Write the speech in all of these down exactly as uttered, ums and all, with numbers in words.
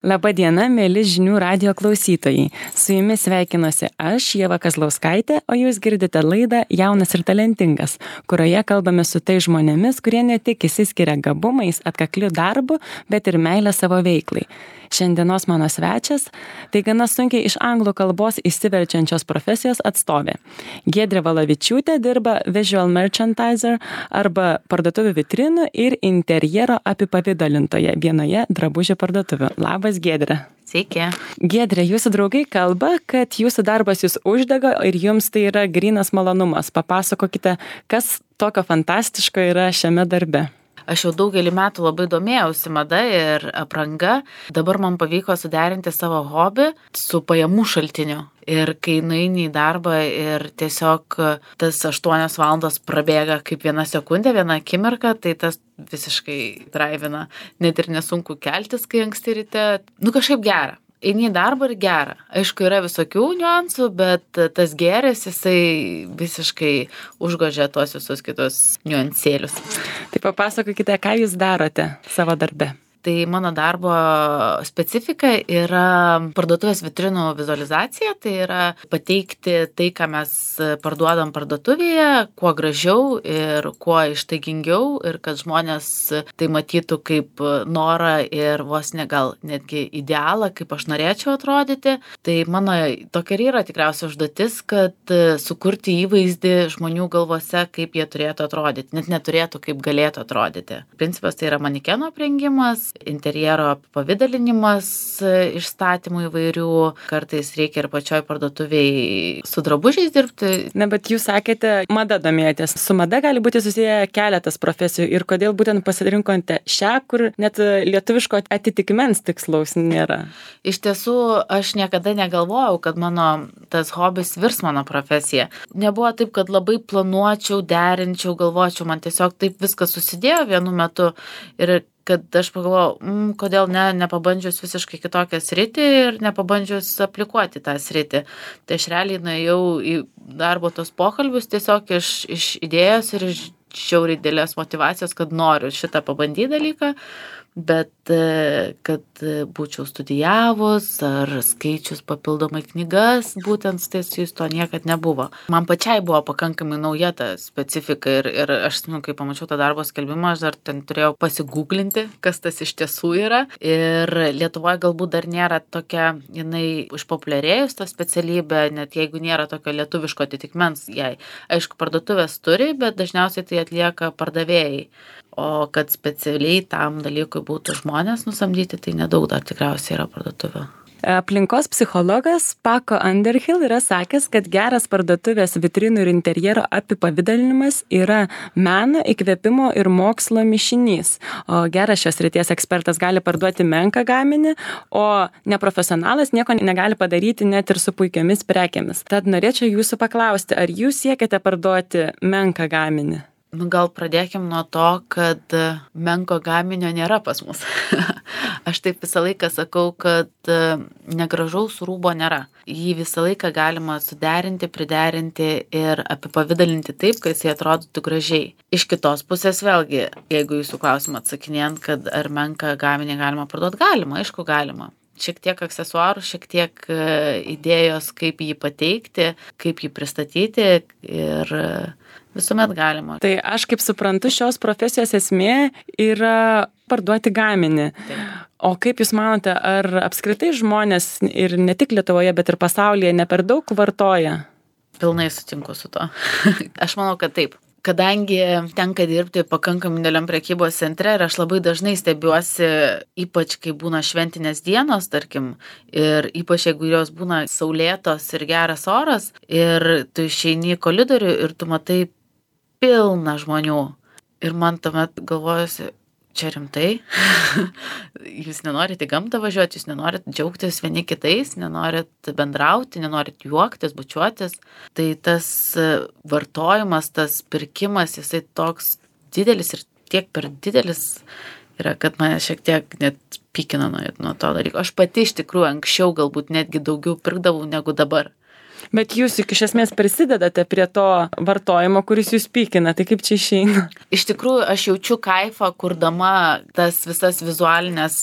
Labą dieną, mėly žinių radijo klausytojai. Su jumis sveikinuosi aš, Ieva Kazlauskaitė, o jūs girdite laidą Jaunas ir talentingas, kurioje kalbame su tai žmonėmis, kurie ne tik išsiskiria gabumais, atkakliu darbu, bet ir meilę savo veiklai. Šiandienos mano svečias - tai gana sunkiai iš anglų kalbos išsiverčiančios profesijos atstovė. Giedrė Valavičiūtė dirba visual merchandiser arba parduotuvių vitrinų ir interjero apipavidalintoje vienoje drabužių parduotuvių. Labas, Giedrė. Sveiki. Giedrė, jūsų draugai kalba, kad jūsų darbas jūs uždega ir jums tai yra grynas malonumas. Papasakokite, kas tokio fantastiško yra šiame darbe. Aš jau daugelį metų labai domėjausi mada ir apranga. Dabar man pavyko suderinti savo hobį su pajamų šaltiniu. Ir kai nueini į darbą ir tiesiog tas aštuonios valandos prabėga kaip viena sekundė, viena akimirka, tai tas visiškai draivina. Net ir nesunku keltis, kai anksti ryte. Nu kažkaip gera. Eini į darbą ir gera. Aišku, yra visokių niuansų, bet tas gėris, jisai visiškai užgožia tuos visus kitus niuansėlius. Tai papasakokite, ką jūs darote savo darbe. Tai mano darbo specifika yra parduotuvės vitrinų vizualizacija, tai yra pateikti tai, ką mes parduodam parduotuvėje, kuo gražiau ir kuo ištaigingiau ir kad žmonės tai matytų kaip norą ir vos ne gal netgi idealą, kaip aš norėčiau atrodyti. Tai mano tokia ir yra tikriausiai užduotis, kad sukurti įvaizdį žmonių galvose, kaip jie turėtų atrodyti, net neturėtų, kaip galėtų atrodyti. Principas tai yra manekeno aprengimas, interjero pavidalinimas išstatymų įvairių, kartais reikia ir pačioj parduotuviai su drabužiais dirbti. Na, bet jūs sakėte, mada domėjotės. Su mada gali būti susiję keletas profesijų ir kodėl būtent pasirinkote šią, kur net lietuviško atitikmens tikslaus nėra? Iš tiesų, aš niekada negalvojau, kad mano tas hobis virs mano profesija. Nebuvo taip, kad labai planuočiau, derinčiau, galvočiau, man tiesiog taip viskas susidėjo vienu metu ir kad aš pagalvojau, mm, kodėl ne, nepabandžius visiškai kitokią sritį ir nepabandžius aplikuoti tą sritį. Tai aš realiai nuėjau į darbo tos pokalbius tiesiog iš, iš idėjos ir iš žiauriai didelės motyvacijos, kad noriu šitą pabandyti dalyką, bet kad būčiau studijavus ar skaičius papildomai knygas, būtent stasijus to niekad nebuvo. Man pačiai buvo pakankamai nauja ta specifika ir, ir aš, nu, kai pamačiau tą darbo skelbimą, aš dar ten turėjau pasigūglinti, kas tas iš tiesų yra. Ir Lietuvoje galbūt dar nėra tokia, jinai išpopuliarėjus ta specialybė, net jeigu nėra tokio lietuviško atitikmens jai. Aišku, parduotuvės turi, bet dažniausiai tai atlieka pardavėjai. O kad specialiai tam dalykui būtų žmonės nusamdyti, tai nedaug dar tikriausiai yra parduotuvių. Aplinkos psichologas Paco Underhill yra sakęs, kad geras parduotuvės vitrinų ir interjero apipavidalinimas yra meno, įkvėpimo ir mokslo mišinys. O geras šios srities ekspertas gali parduoti menką gaminį, o neprofesionalas nieko negali padaryti net ir su puikiomis prekėmis. Tad norėčiau jūsų paklausti, ar jūs siekiate parduoti menką gaminį? Nu, gal pradėkim nuo to, kad menko gaminio nėra pas mus. Aš taip visą laiką sakau, kad negražaus rūbo nėra. Jį visą laiką galima suderinti, priderinti ir apipavidalinti taip, kad jis atrodytų gražiai. Iš kitos pusės vėlgi, jeigu jūsų klausimą atsakinėjant, kad ar menką gaminį galima parduoti, galima, aišku, galima. Šiek tiek aksesuarų, šiek tiek idėjos, kaip jį pateikti, kaip jį pristatyti ir visuomet galima. Tai aš kaip suprantu, šios profesijos esmė yra parduoti gaminį. Taip. O kaip jūs manote, ar apskritai žmonės ir ne tik Lietuvoje, bet ir pasaulyje ne per daug vartoja? Pilnai sutinku su to. Aš manau, kad taip. Kadangi tenka dirbti pakankamai dideliam prekybos centre ir aš labai dažnai stebiuosi, ypač kai būna šventinės dienos, tarkim, ir ypač jeigu jos būna saulėtos ir geras oras, ir tu išeini į koridorių ir tu matai pilną žmonių. Ir man tuomet galvojusi, čia rimtai, jūs nenorit į gamtą važiuoti, jūs nenorit džiaugtis vieni kitais, nenorit bendrauti, nenorit juoktis, bučiuotis. Tai tas vartojimas, tas pirkimas, jisai toks didelis ir tiek per didelis yra, kad mane šiek tiek net pykina nuo, nuo to dalyko. Aš pati iš tikrųjų anksčiau galbūt netgi daugiau pirkdavau negu dabar. Bet jūs juk iš esmės prisidedate prie to vartojimo, kuris jūs pykina, tai kaip čia išeina? Iš tikrųjų, aš jaučiu kaifą, kurdama tas visas vizualinės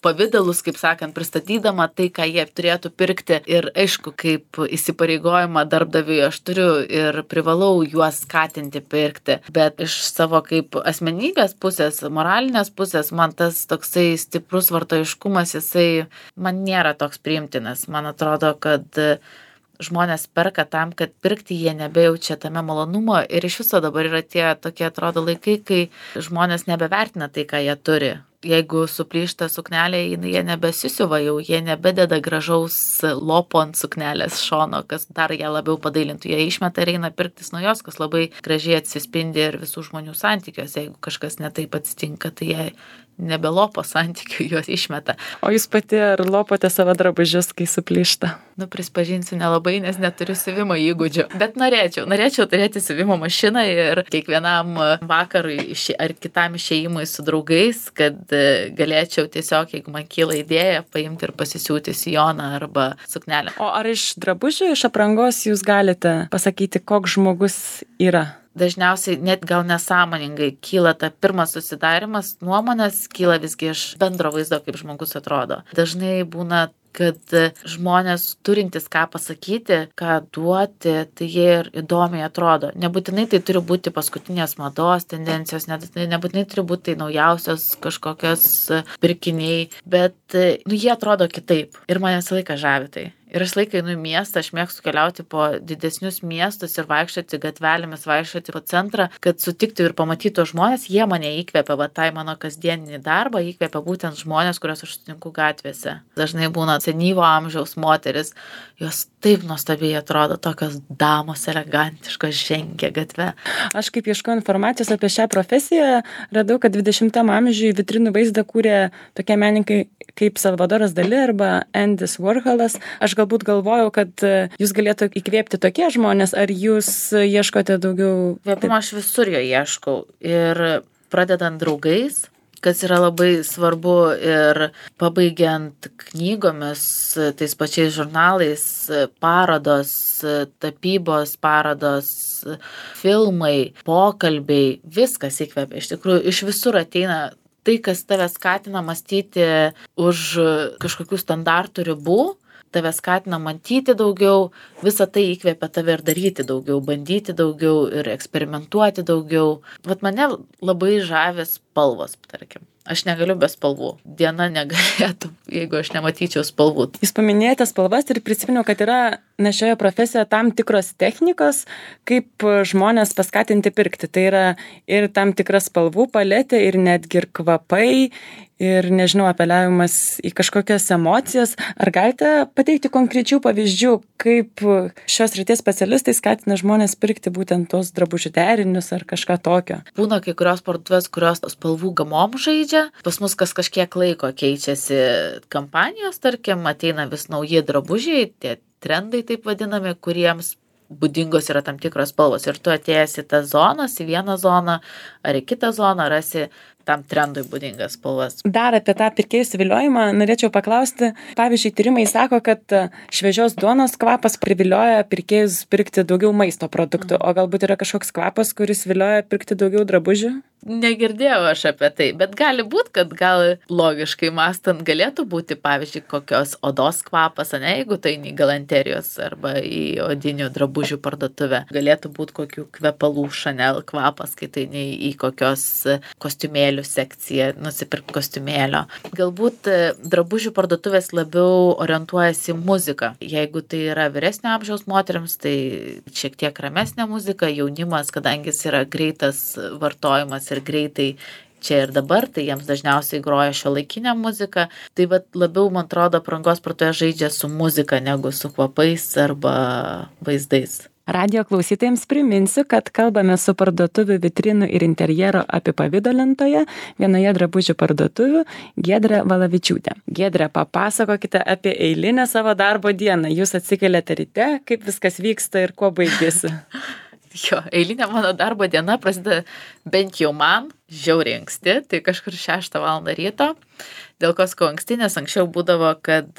pavidalus, kaip sakant, pristatydama tai, ką jie turėtų pirkti. Ir aišku, kaip įsipareigojimą darbdaviui aš turiu ir privalau juos skatinti pirkti. Bet iš savo kaip asmenybės pusės, moralinės pusės, man tas toksai stiprus vartojiškumas, jisai man nėra toks priimtinas. Man atrodo, kad žmonės perka tam, kad pirkti jie nebejaučia tame malonumo ir iš viso dabar yra tie tokie atrodo laikai, kai žmonės nebevertina tai, ką jie turi. Jeigu suplyšta suknelė, jie nebesisiuva jau, jie nebededa gražaus lopo ant suknelės šono, kas dar ją labiau padailintų. Jie išmeta ir eina pirktis naujos, kas labai gražiai atsispindi ir visų žmonių santykiuose. Jeigu kažkas netaip atsitinka, tai jie nebelopo santykių, juos išmeta. O jūs pati ar lopote savo drabužius, kai suplyšta? Nu, prispažinsiu nelabai, nes neturiu siuvimo įgūdžių. Bet norėčiau, norėčiau turėti siuvimo mašiną ir kiekvienam vakarui ar kitam išėjimui su draugais, kad galėčiau tiesiog, jeigu man kyla idėja, paimti ir pasisiūti sijoną arba suknelę. O ar iš drabužių, iš aprangos jūs galite pasakyti, koks žmogus yra? Dažniausiai net gal nesąmoningai kyla ta pirmas susidarimas, nuomonės kyla visgi iš bendro vaizdo, kaip žmogus atrodo. Dažnai būna, kad žmonės turintys ką pasakyti, ką duoti, tai jie ir įdomiai atrodo. Nebūtinai tai turi būti paskutinės mados tendencijos, nebūtinai turi būti tai naujausios kažkokios pirkiniai, bet nu, jie atrodo kitaip ir mane visą laiką žavi tai. Ir aš laikai einu į miestą, aš mėgstu keliauti po didesnius miestus ir vaikščioti gatvelėmis, vaikščioti po centrą, kad sutiktų ir pamatytų žmonės, jie mane įkvepia, va tai mano kasdieninį darbą, įkvepia būtent žmonės, kuriuos aš sutinku gatvėse. Dažnai būna senyvo amžiaus moteris, jos taip nuostabiai atrodo, tokios damos elegantiškos žengia gatve. Aš kaip ieškau informacijos apie šią profesiją, radau, kad dvidešimtam amžiuje vitrinų vaizdą kūrė tokie menininkai kaip Salvadoras Dali arba Endis Warholas. Aš galbūt galvojau, kad jūs galėtų įkvėpti tokie žmonės, ar jūs ieškote daugiau? Įkvėpimo aš visur jo ieškau ir pradedant draugais, kas yra labai svarbu ir pabaigiant knygomis, tais pačiais žurnalais, parodos, tapybos parodos, filmai, pokalbiai, viskas įkvėpia. Iš tikrųjų, iš visur ateina tai, kas tave skatina mąstyti už kažkokių standartų ribų, tave skatina matyti daugiau, visą tai įkvėpia tave ir daryti daugiau, bandyti daugiau ir eksperimentuoti daugiau. Vat mane labai žavė spalvos, tarkim. Aš negaliu be spalvų. Diena negalėtų, jeigu aš nematyčiau spalvų. Jūs paminėjote spalvas ir prisiminiau, kad yra na, šioje profesijoje tam tikros technikos, kaip žmonės paskatinti pirkti. Tai yra ir tam tikra spalvų paletė, ir netgi ir kvapai, ir, nežinau, apeliavimas į kažkokias emocijas. Ar galite pateikti konkrečių pavyzdžių, kaip šios ryties specialistai skatina žmonės pirkti būtent tos drabužių derinius ar kažką tokio? Būna kai kurios parduotuvės, kurios spalvų gamom žaidžia. Pas mus kas kažkiek laiko keičiasi kampanijos, tarkim, ateina vis nauji drabužiai, tie trendai taip vadinami, kuriems būdingos yra tam tikros spalvos. Ir tu atėjęs į tas zonas, į vieną zoną ar į kitą zoną, rasi tam trendui būdingas spalvas. Dar apie tą pirkėjų suviliojimą norėčiau paklausti. Pavyzdžiui, tyrimai sako, kad šviežios duonos kvapas privilioja pirkėjus pirkti daugiau maisto produktų, o galbūt yra kažkoks kvapas, kuris vilioja pirkti daugiau drabužių? Negirdėjau aš apie tai, bet gali būti, kad gal logiškai mąstant galėtų būti, pavyzdžiui, kokios odos kvapas, ne, jeigu tai į galanterijos arba į odinių drabužių parduotuvę. Galėtų būti kokių kvepalų Chanel kvapas, kai tai ne į kokios kostiumėlių sekciją, nusipirk kostiumėlio. Galbūt drabužių parduotuvės labiau orientuojasi į muziką. Jeigu tai yra vyresnio amžiaus moteriams, tai šiek tiek ramesnė muzika, jaunimas, kadangi jis yra greitas vartojimas ir greitai čia ir dabar, tai jiems dažniausiai groja šiuolaikinę muziką. Tai vat labiau, man atrodo, aprangos parduotuvė žaidžia su muzika negu su kvapais arba vaizdais. Radijo klausytojams priminsiu, kad kalbame su parduotuvių vitrinų ir interjero apipavidalintoja, vienoje drabužių parduotuvių, Giedre Valavičiūtė. Giedre, papasakokite apie eilinę savo darbo dieną. Jūs atsikeliate ryte, kaip viskas vyksta ir kuo baigėsi? Jo, eilinė mano darbo diena prasideda bent jau man žiauriai anksti, tai kažkur šeštą valandą ryto. Dėl ko skau anksti, nes anksčiau būdavo, kad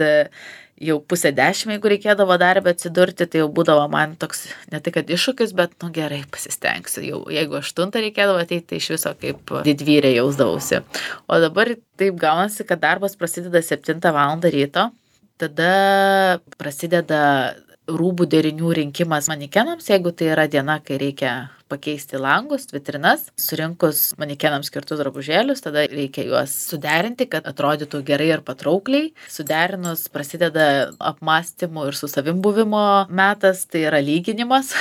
jau pusę dešimt, jeigu reikėdavo darbę atsidurti, tai jau būdavo man toks, ne tai kad iššūkis, bet nu gerai, pasistengsiu. Jau, jeigu aštuntą reikėdavo ateiti, tai iš viso kaip didvyrė jausdavausi. O dabar taip gaunasi, kad darbas prasideda septintą valandą ryto, tada prasideda rūbų derinių rinkimas manikenams, jeigu tai yra diena, kai reikia pakeisti langus, vitrinas, surinkus manikenams skirtus drabužėlius, tada reikia juos suderinti, kad atrodytų gerai ir patraukliai. Suderinus prasideda apmąstymų ir su savim buvimo metas, tai yra lyginimas,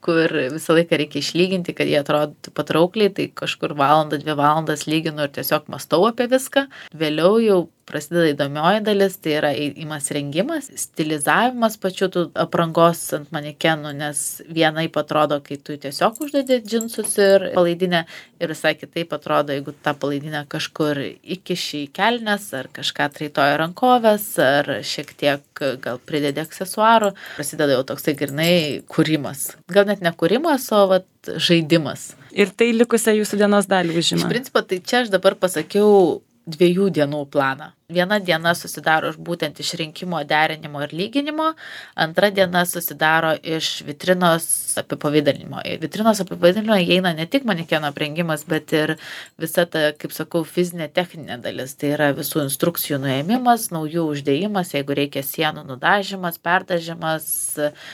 kur visą laiką reikia išlyginti, kad jie atrodytų patraukliai, tai kažkur valandą, dvi valandas lyginu ir tiesiog mąstau apie viską. Vėliau jau prasideda įdomioji dalis, tai yra įmas rengimas, stilizavimas pačių tų aprangos ant manekenų, nes vienaip atrodo, kai tu tiesiog uždedi džinsus ir palaidinę, ir visai kitaip atrodo, jeigu tą palaidinę kažkur įkiši į kelnes, ar kažką traitoja rankovės, ar šiek tiek gal pridedi aksesuarų, prasideda jau toksai grinai kūrimas. Gal net ne kūrimas, o vat, žaidimas. Ir tai likusią jūsų dienos dalį užima. Iš principo, tai čia aš dabar pasakiau dviejų dienų planą. Viena diena susidaro būtent iš rinkimo, derinimo ir lyginimo, antra diena susidaro iš vitrinos apipavidalinimo. Vitrinos apipavidalinimo įeina ne tik manekeno aprengimas, bet ir visa ta, kaip sakau, fizinė techninė dalis. Tai yra visų instrukcijų nuėmimas, naujų uždėjimas, jeigu reikia sienų nudažymas, perdažymas.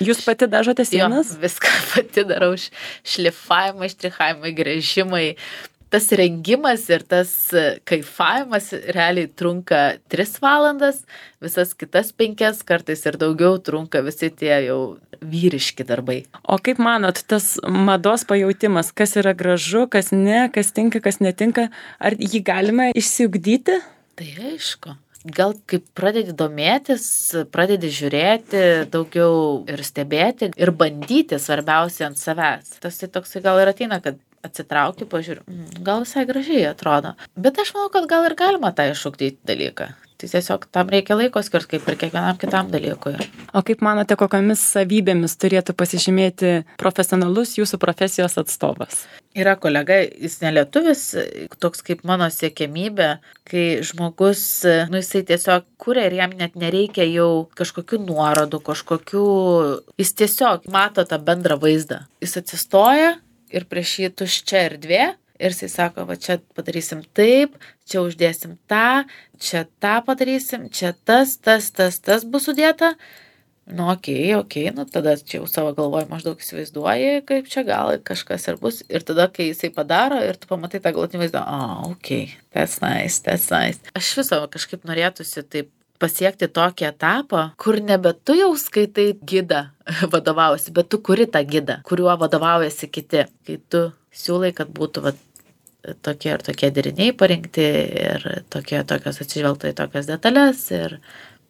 Jūs pati dažote sienas? Jo, viską pati darau, šlifavimai, štrichavimai, gręžimai. Tas rengimas ir tas kaifavimas realiai trunka tris valandas, visas kitas penkias, kartais ir daugiau trunka visi tie jau vyriški darbai. O kaip manot, tas mados pajautimas, kas yra gražu, kas ne, kas tinka, kas netinka, ar jį galima išsiugdyti? Tai aišku. Gal kaip pradedi domėtis, pradedi žiūrėti daugiau ir stebėti ir bandyti svarbiausia ant savęs. Tas tai toksai gal ir ateina, kad atsitrauki, pažiūriu, mm, gal visai gražiai atrodo. Bet aš manau, kad gal ir galima tą iššūkdyti dalyką. Tai tiesiog tam reikia laiko skirti, kaip ir kiekvienam kitam dalykui. O kaip manote, kokiamis savybėmis turėtų pasižymėti profesionalus jūsų profesijos atstovas? Yra kolega, jis nelietuvis, toks kaip mano siekiamybė, kai žmogus, nu jisai tiesiog kuria ir jam net nereikia jau kažkokių nuorodų, kažkokių, jis tiesiog mato tą bendrą vaizdą. Jis atsistoja ir prieš jį tuščia erdvė ir jisai sako, va čia padarysim taip, čia uždėsim tą, čia tą padarysim, čia tas, tas, tas, tas bus sudėta. Nu, okei, okei, nu tada čia jau savo galvoj maždaug įsivaizduoji, kaip čia gal kažkas ir bus. Ir tada, kai jisai padaro ir tu pamatai tą galutinį vaizdą, o, okei, that's nice, that's nice. Aš viso kažkaip norėtųsi taip pasiekti tokį etapą, kur nebe tu jau skaitai gidą vadovausi, bet tu kuri tą gidą, kuriuo vadovaujasi kiti. Kai tu siūlai, kad būtų va, tokie ir tokie deriniai parinkti ir tokie, tokios atsižvelgta į tokias detalės ir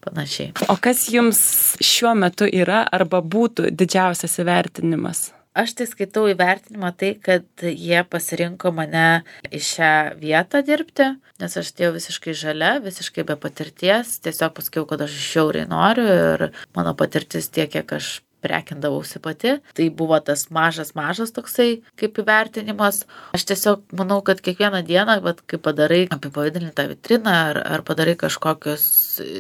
panašiai. O kas jums šiuo metu yra arba būtų didžiausias įvertinimas? Aš tai skaitau įvertinimą tai, kad jie pasirinko mane į šią vietą dirbti, nes aš atėjau visiškai žalia, visiškai be patirties, tiesiog pasakiau, kad aš žiauriai noriu ir mano patirtis tiek, kiek aš prekindavausi pati. Tai buvo tas mažas, mažas toksai kaip įvertinimas. Aš tiesiog manau, kad kiekvieną dieną, bet kai padarai apipavidalintą vitriną ar, ar padarai kažkokius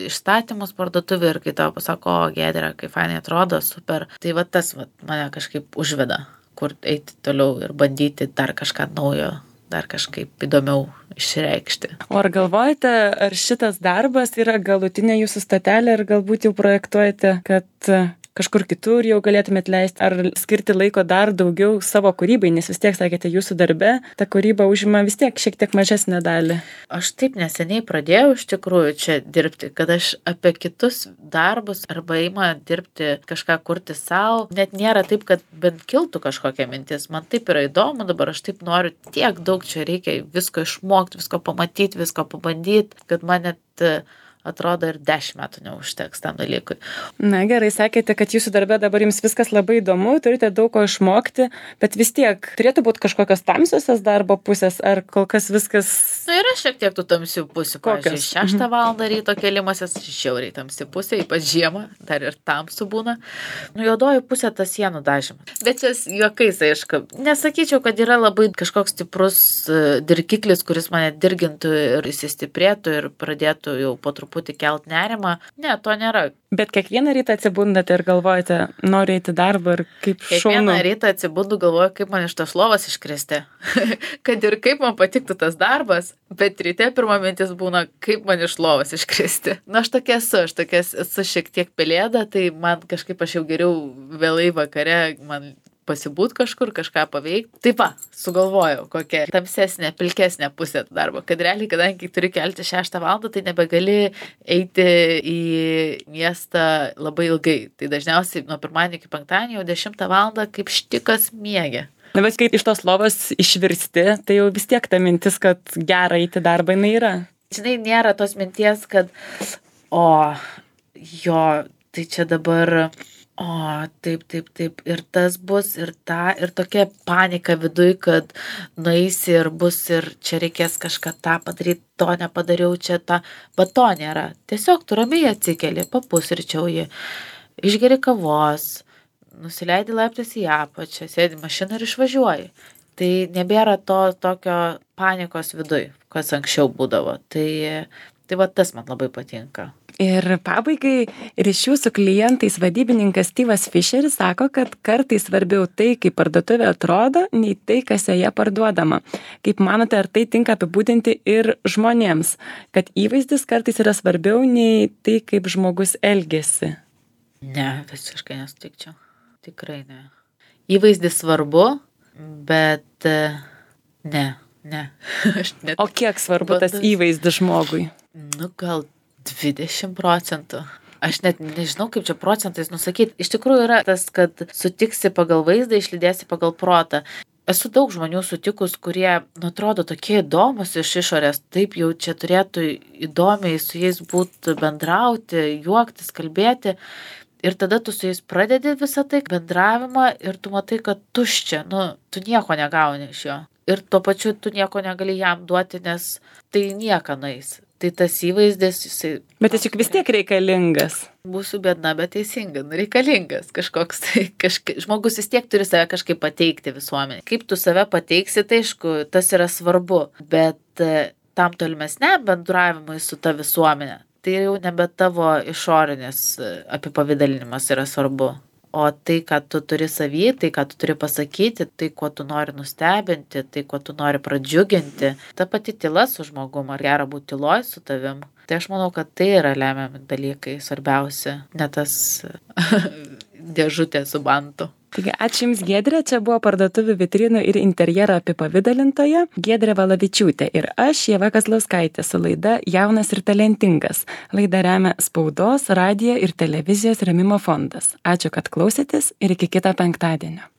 išstatymus parduotuvį ir kai tau pasako, o Giedrė, kaip fainai atrodo, super. Tai va tas va, mane kažkaip užveda, kur eiti toliau ir bandyti dar kažką naujo, dar kažkaip įdomiau išreikšti. O ar galvojate, ar šitas darbas yra galutinė jūsų stotelė ir galbūt jau projektuojate, kad kažkur kitur jau galėtumėt leisti, ar skirti laiko dar daugiau savo kūrybai, nes vis tiek, sakėte, jūsų darbe ta kūryba užima vis tiek šiek tiek mažesnę dalį. Aš taip neseniai pradėjau iš tikrųjų čia dirbti, kad aš apie kitus darbus arba įma dirbti, kažką kurti savo, net nėra taip, kad bent kiltų kažkokia mintis. Man taip yra įdomu, dabar aš taip noriu, tiek daug čia reikia visko išmokti, visko pamatyti, visko pabandyti, kad man net atrodo ir dešimt metų neužteks tam dalykui. Na gerai, sakėte, kad jūsų darbe dabar jums viskas labai įdomu, turite daug ko išmokti, bet vis tiek turėtų būti kažkokios tamsiosios darbo pusės, ar kol kas viskas... Na, yra šiek tiek tų tamsių pusių. Pavyzdžiui, šeštą valandą ryto kėlimasis, šiauriai tamsi pusė, ypač žiemą, dar ir tamsų būna. Nu, juodoji pusė tas sienų dažymas. Bet čia juokais, aišku. Nesakyčiau, kad yra labai kažkoks stiprus dirgiklis, kuris mane dirgintų ir įsistiprėtų ir pradėtų jau po truputį kelt nerimą. Ne, to nėra. Bet kiekvieną rytą atsibundate ir galvojate, noriu eiti darbą ir kaip šaunu. Kiekvieną rytą atsibundu, galvoju, kaip man iš tos lovos iškristi. Kad ir kaip man patiktų tas darbas, bet ryte pirma mintis būna, kaip man iš lovos iškristi. Na, aš tokia esu, aš tokia esu šiek tiek pelėda, tai man kažkaip aš jau geriau vėlai vakare, man pasibūt kažkur, kažką paveikti. Taip va, sugalvojau, kokia tamsesnė, pilkesnė pusė darbo. Kad realiai, kadangi turi kelti šeštą valandą, tai nebegali eiti į miestą labai ilgai. Tai dažniausiai nuo pirmadienio iki penktadienio jau dešimtą valandą kaip štikas miegi. Na, bet kai iš tos lovos išvirsti, tai jau vis tiek ta mintis, kad gera eiti darbą, jinai yra. Žinai, nėra tos minties, kad o, jo, tai čia dabar... O, taip, taip, taip, ir tas bus, ir ta, ir tokia panika viduj, kad nueisi ir bus, ir čia reikės kažką tą padaryti, to nepadariau, čia tą, bet to nėra. Tiesiog tu ramiai atsikeli, papusryčiauji, išgeri kavos, nusileidi laiptais į apačią, sėdi mašiną ir išvažiuoji. Tai nebėra to tokio panikos viduj, kas anksčiau būdavo. Tai, tai va tas man labai patinka. Ir pabaigai ryšių su klientais vadybininkas Steve'as Fisheris sako, kad kartais svarbiau tai, kaip parduotuvė atrodo, nei tai, kas joje parduodama. Kaip manote, ar tai tinka apibūdinti ir žmonėms, kad įvaizdis kartais yra svarbiau nei tai, kaip žmogus elgiasi? Ne, visiškai nesutikčiau. Tikrai ne. Įvaizdis svarbu, bet ne, ne. Net... O kiek svarbu tas įvaizdis žmogui? Nu, gal dvidešimt procentų. Aš net nežinau, kaip čia procentais nusakyti. Iš tikrųjų yra tas, kad sutiksi pagal vaizdą, išlydėsi pagal protą. Esu daug žmonių sutikus, kurie, nu, atrodo, tokie įdomus iš išorės, taip jau čia turėtų įdomiai su jais būti bendrauti, juoktis, kalbėti. Ir tada tu su jais pradedi visą tai bendravimą ir tu matai, kad tuščia, nu, tu nieko negauni iš jo. Ir tuo pačiu tu nieko negali jam duoti, nes tai nieka nueis. Tai tas įvaizdis, jisai... Bet jis juk vis tiek reikalingas. Būsiu biedna, bet teisinga, nu, reikalingas kažkoks. Tai kažka... Žmogus vis tiek turi save kažkaip pateikti visuomenį. Kaip tu save pateiksi, tai aišku, tas yra svarbu. Bet tam tolimesniam bendravimui su ta visuomenė, tai jau nebe tavo išorinis apipavidalinimas yra svarbu. O tai, ką tu turi savy, tai, ką tu turi pasakyti, tai, kuo tu nori nustebinti, tai, kuo tu nori pradžiuginti, ta pati tyla su žmogum, ar gera būti tyloj su tavim. Tai aš manau, kad tai yra lemiami dalykai, svarbiausia, ne tas dėžutė su bantu. Taigi, ačiū Jums, Giedrė, čia buvo parduotuvių vitrinų ir interjero apipavidalintoja Giedrė Valavičiūtė ir aš, Ieva Kazlauskaitė, su laida Jaunas ir talentingas. Laidą remia Spaudos, radijo ir televizijos rėmimo fondas. Ačiū, kad klausėtės ir iki kito penktadienio.